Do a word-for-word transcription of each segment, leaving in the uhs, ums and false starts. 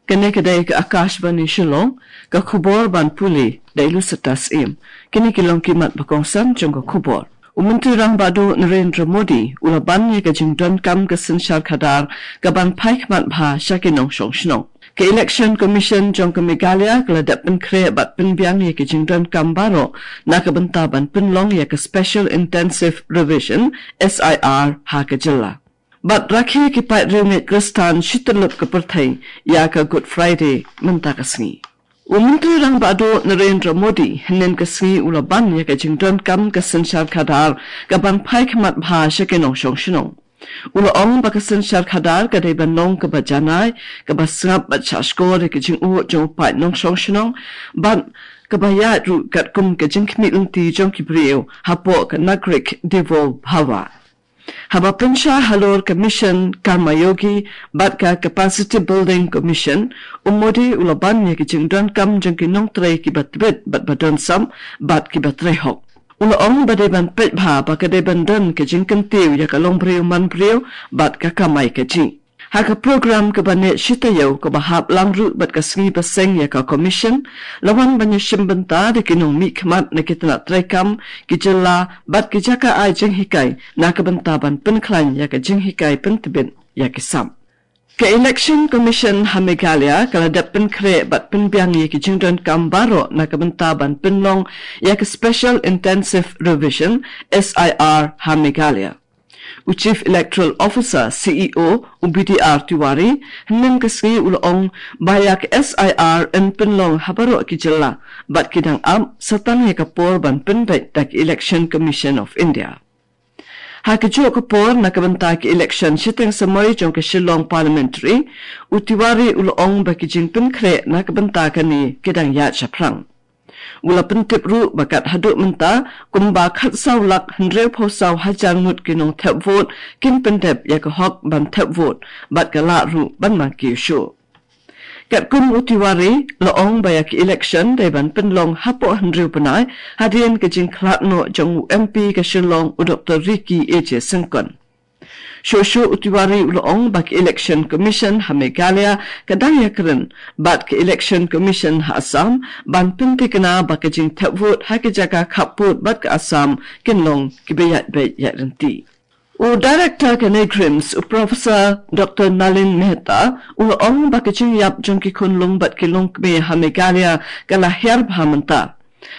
Kane ka dei ka Akashvani Shillong, ka khubor ban pule da i Lucetta Syiem. Kine ki long ki mat ba kongsan jong ka khubor. U Myntri Rangbah Duh Narendra Modi u la ban ïa ka jingdonkam ka synshar khadar kaban phai khmat bha sha ki nongshong shnong. Ka Election Commission jong ka Meghalaya ka la dep pynkhreh bad pynbiang ïa ka jingdonkam baroh na ka bynta ban pynlong ïa ka Special Intensive Revision, S I R, ha ka jylla. Bad rakhe ki paidriewngeit Khristan shi tyllup ka pyrthei ïa ka Good Friday mynta ka sngi. U Myntri Rangbah Duh Narendra Modi hynnin ka sngi u la ban ïa ka jingdonkam ka synshar khadar kaban phai khmat bha sha ki nongshong shnong. U la ong ba ka synshar khadar ka dei ban long kaba janai, kaba sngap bad shahshkor ïa ka jingud jong u paid nongshong shnong, bad kaba ïaid ruh katkum ka jingkhmih lynti jong ki briew hapoh ka Nagarik Devo Bhava. Haba pynshai halor ka Mission Karmayogi bad ka Capacity Building Commission, u Modi u la ban ïa ka jingdonkam jong ki nongtrei kiba tbit bad ba don sam bad kiba trei hok. U la ong ba dei ban peit bha ba ka dei ban don ka jingkyntiew ïa ka longbriew manbriew bad ka kamai kajih. Ha ka program kaba neh shi taïew kaba hap lang ruh bad ka sngi ba seng ïa ka Commission, la wan ban ïashim bynta da ki nongmihkhmat na ki tnat treikam, ki jylla bad ki jaka ai jinghikai na ka bynta ban pynkhlaiñ ïa ka jinghikai pyntbit ïa ki sam. Ka Election Commission ha Meghalaya ka la dep pynkhreh bad pynbiang ïa ki jingdonkam baroh na ka bynta ban pynlong ïa ka Special Intensive Revision, S I R, ha Meghalaya. U Chief Electoral Officer, C E O, u B D R Tiwari, hynnin ka sngi u la ong ba ïa ka S I R yn pynlong ha baroh ki jylla bad ki dang ap sa tang ïa ka por ban pynbeit da ka Election Commission of India. Ha kajuh ka por na ka bynta ka election shiteng samoi jong ka Shillong Parliamentary, u Tiwari u la ong ba ki jingpynkhreh na ka bynta kane ki dang ïaid shaphrang. U la pyntip ruh ba kat haduh mynta kumba khatsaw lak hynriewphew saw hajar ngut ki nongthep vote kin pyndep ïa ka hok ban thep vote bad ka lah ruh ban nang kiew shuh. Katkum u Tiwari, la ong ba ïa ka election dei ban pynlong hapoh hynriew bnai hadien ka jingkhlad noh jong u M P ka Shillong, u Doctor Ricky A J Syngkon. Shuh shuh u Tiwari u la ong ba ka Election Commission ha Meghalaya ka dang ïakren bad ka Election Commission ha Assam ban pynthikna ba ka jingthep vote ha ki jaka khappud bad ka Assam kin long kiba ïaid beit ïaid ryntih. U Director ka NEIGRIHMS, u Professor Doctor Nalin Mehta, u la ong ba ka jingïap jong ki khunlung bad ki longkmie ha Meghalaya ka la hiar bha mynta.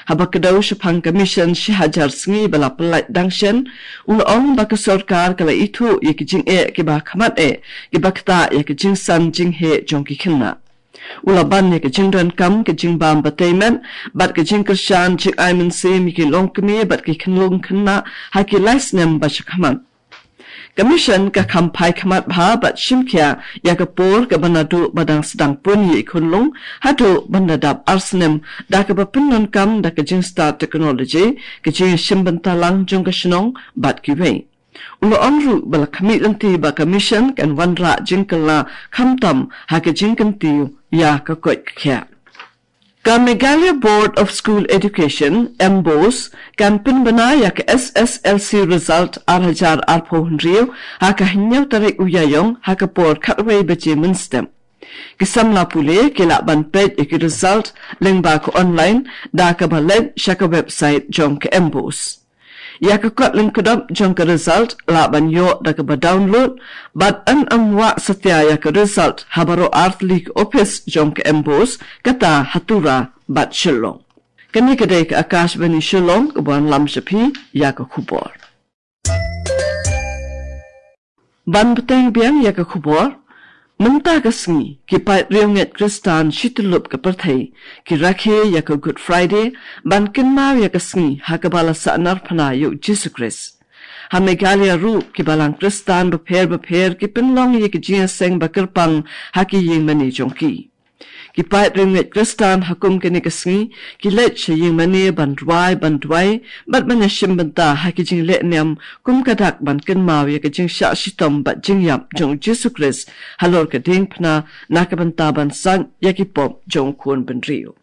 Haba kdew shaphang ka mission shi hajar sngi ba la pyllait dang shen, u la ong ba ka sorkar ka la ithuh ïa ki jingeh kiba khmat eh, kiba ktah ïa ka jingsan jingheh jong ki khynnah. U la ban ïa ka jingdonkam ka jingbam batei met bad ka jingkyrshan jingai mynsiem ïa ki longkmie bad ki khunlung khynnah ha ki lai snem ba sha khmat. Ka mission ka kham phai khmat bha bad shim khia ïa ka por kaba naduh ba dang sdang pun ïa i khunlung haduh ban da dap ar snem da kaba pyndonkam da ka jingstad technology, ka jingshim bynta lang jong ka shnong bad kiwei. U la ong ruh ba la khmih lynti ba ka mission kan wanrah jingkylla khamtam ha ka jingkyntiew ïa ka koit ka khiah. Ka Meghalaya Board of School Education, MBOSE, kan pynbna ïa ka S S L C result ar hajar arphew hynriew ha ka hynñiew tarik u Ïaïong ha ka por khatwei baje mynstep. Ki samla pule ki lah ban peit ïa ki result lyngba ka online da kaba leit sha ka website jong ka MBOSE. Ïa ka kot lyngkdop jong ka result lah ban ïoh da kaba download bad yn ym wah satia ïa ka result ha baroh artylli ki ophis jong ka MBOSE, kata ha Tura bad Shillong. Kane ka dei ka Akashvani Shillong kaba wanlam sha phi ïa ka khubor. Ban bteng biang ïa ka khubor, mynta ka sngi ki paid riewngeit Khristan shi tyllup ka pyrthei ki rakhe ïa ka Good Friday ban kynmaw ïa ka sngi ha kaba la sahnarphna ïa u Jisu Khrist. Ha Meghalaya ruh ki balang Khristan bapher bapher ki pynlong ïa ki jingïaseng ba kyrpang ha ki ïingmane jong ki. Ki paid riewngeit Khristan ha kum kane ka sngi ki leit sha ïingmane ban rwai ban duwai bad ban ïashim bynta ha ki jingleh niam kum ka dak ban kynmaw ïa ka jingshah shitom bad jingïap jong u Jisu Khrist halor ka diengphna na ka bynta ban sait ïa ki pop jong u khun bynriew.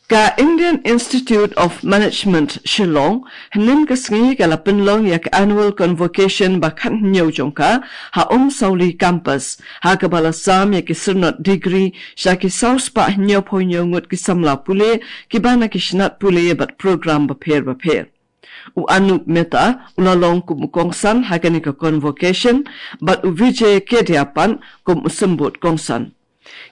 Ka Indian Institute of Management Shillong, hynnin ka sngi ka la pynlong ïa ka annual convocation ba khathynñiew jong ka, ha Umsawli campus, ha kaba la sam ïa ki syrnod degree, sha ki saw spah hynñiewphew hynñiew ngut ki samla pule, kiba na ki shnat pule bad program bapher bapher. U Anup Mehta, u la long kum u kongsan ha kane ka convocation, bad u Vijay Kedia pat, kum u symbud kongsan.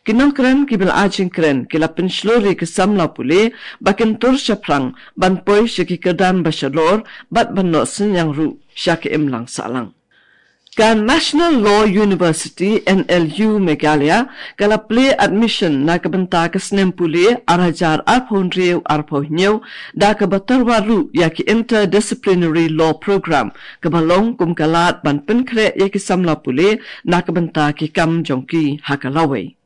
Ki nongkren kiba la ai jingkren, ki la pynshlur ïa ki samla pule, ba kin tur shaphrang, ban poi sha ki kyrdan ba shalor, bad ban noh synñiang ruh, sha ka imlang sahlang. Ka National Law University, N L U Meghalaya, ka la plie admission na ka bynta ka snem pule, ar hajar arphew hynriew arphew hynñiew, da kaba tyrwa ruh ïa ki interdisciplinary law program, kaba long kum ka lad ban pynkhreh ïa ki samla pule, na ka bynta ki kam jong ki ha ka lawei.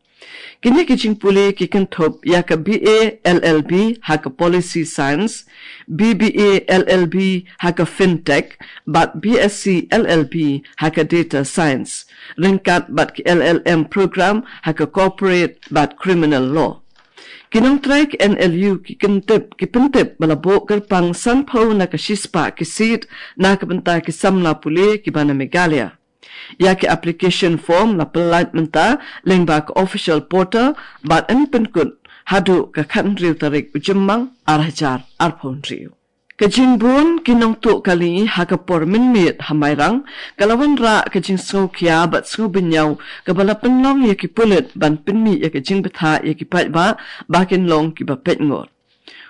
Kine ki jingpule ki kynthup ïa ka B A L L B ha ka Policy Science, B B A L L B ha ka Fintech, bad B S C L L B ha ka Data Science, ryngkat bad ki L L M program ha ka Corporate bad Criminal Law. Ki nongtrei ka N L U ki kyntip, ki pyntip ba la buh kyrpang sanphew na ka shispah ki seat na ka bynta ki samla pule kiba na Meghalaya. Ïa ki application form la pyllait mynta lyngba ka official portal, bad yn pynkut haduh ka khathynriew tarik u Jymmang, ar hajar arphew hynriew. Ka jingbun ki nongtuh kali ha ka por mynmiet ha Mairang, ka la wanrah ka jingsngewkhia bad sngewbynñiaw, kaba la pynlong ïa ki pulit ban pynmih ïa ka jingbthah ïa ki paidbah, ba kin long kiba peit ngor.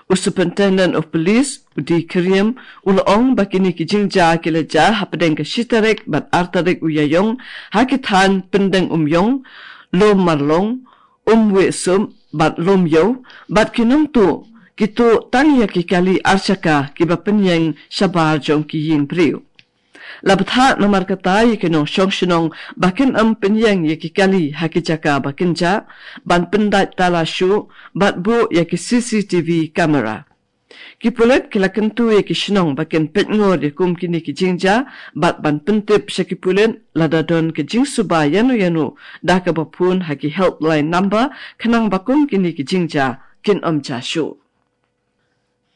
U Superintendent of Police, u D Khyriem, u la ong ba kine ki jingjia ki la jia hapdeng ka shi tarik bad ar tarik u Ïaïong, ha ki thaiñ Pyndengumiong, Lum Marlong, Umwesum, bad Lumïew, bad ki nongtuh, ki tuh tang ïa ki kali ar shaka kiba pynïeng shabar jong ki ïing briew. La bthah namar kata ïa ki nongshong shnong ba kin ym pynïeng ïa ki kali ha ki jaka ba kin jah, ban pyndait tala shuh, bad buh ïa ki C C T V camera. Ki pulit ki la kyntu ïa ki shnong ba kin peit ngor ïa kum kine ki jingjia, bad ban pyntip sha ki pulit lada don ka jingsuba ïano ïano, da kaba phone ha ki helpline number, khnang ba kum kine ki jingjia kin ym jia shuh.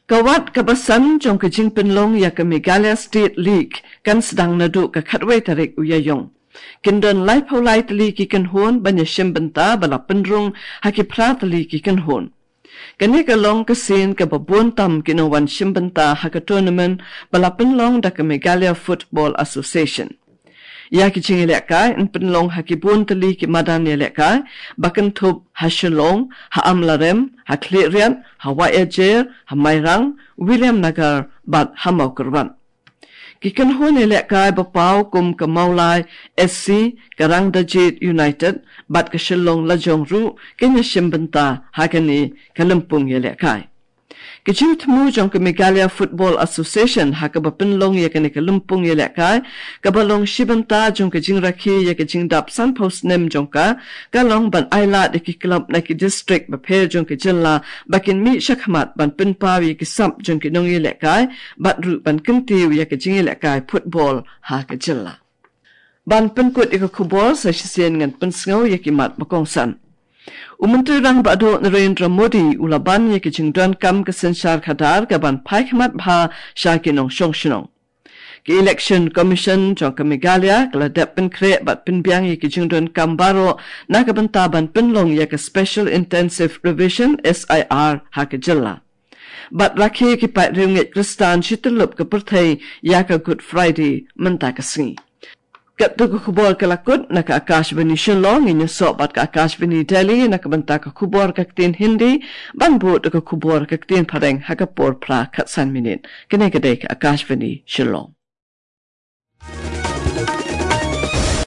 Ka wat kaba san jong ka jingpynlong ïa ka Meghalaya State League kan sdang naduh ka khatwei tarik u Ïaïong. Kin don laiphew lai tylli ki kynhun ban ïashim bynta ba la pynrung ha ki phra tylli ki kynhun. Kane ka long ka sien kaba bun tam ki nongwan shim bynta ha ka tournament ba la pynlong da ka Meghalaya Football Association. Ïa ki jingïalehkai yn pynlong ha ki bun tylli ki madan ïalehkai, ba kynthup ha Shillong, ha Amlarem, ha Khliehriat, ha Wahiajer, ha Mairang, Williamnagar, bad ha Mawkyrwat. Ki kynhun ïalehkai ba paw kum ka Mawlai S C, ka Rangdajied United, bad ka Shillong Lajong ruh, kin ïashim bynta ha kane ka lympung ïalehkai. Ka jingthmu jong ka Meghalaya Football Association ha kaba pynlong ïa kane ka lympung ïalehkai, kaba long shi bynta jong ka jingrakhe ïa ka jingdap sanphew snem jong ka, ka long ban ailad ïa ki club na ki district bapher jong ka jylla, ba kin mih shakhmat ban pynpaw ïa ki sap jong ki nongïalehkai, bad ruh ban kyntiew ïa ka jingïalehkai football ha ka jylla. Ban pynkut ïa ka khubor, sa shisien ngan pynsngew ïa ki mat ba kongsan. U Myntri Rangbah Duh Narendra Modi u la ban ïa ka jingdonkam ka synshar khadar kaban phai khmat bha sha ki nongshong shnong. Ka Election Commission jong ka Meghalaya ka la dep pynkhreh bad pynbiang ïa ki jingdonkam baroh na ka bynta ban pynlong ïa ka Special Intensive Revision, S I R, ha ka jylla. Bad rakhe ki paid riewngeit Khristan shityllup ka pyrthei ïa ka Good Friday mynta ka sngi. Katto ka khubor ka la kut na ka Akashvani Shillong, ngin ïasoh bad ka Akashvani Delhi na ka bynta ka khubor ka ktien Hindi, ban bud ka khubor ka ktien Phareng ha ka por phra khatsan minit. Kane ka dei ka Akashvani Shillong.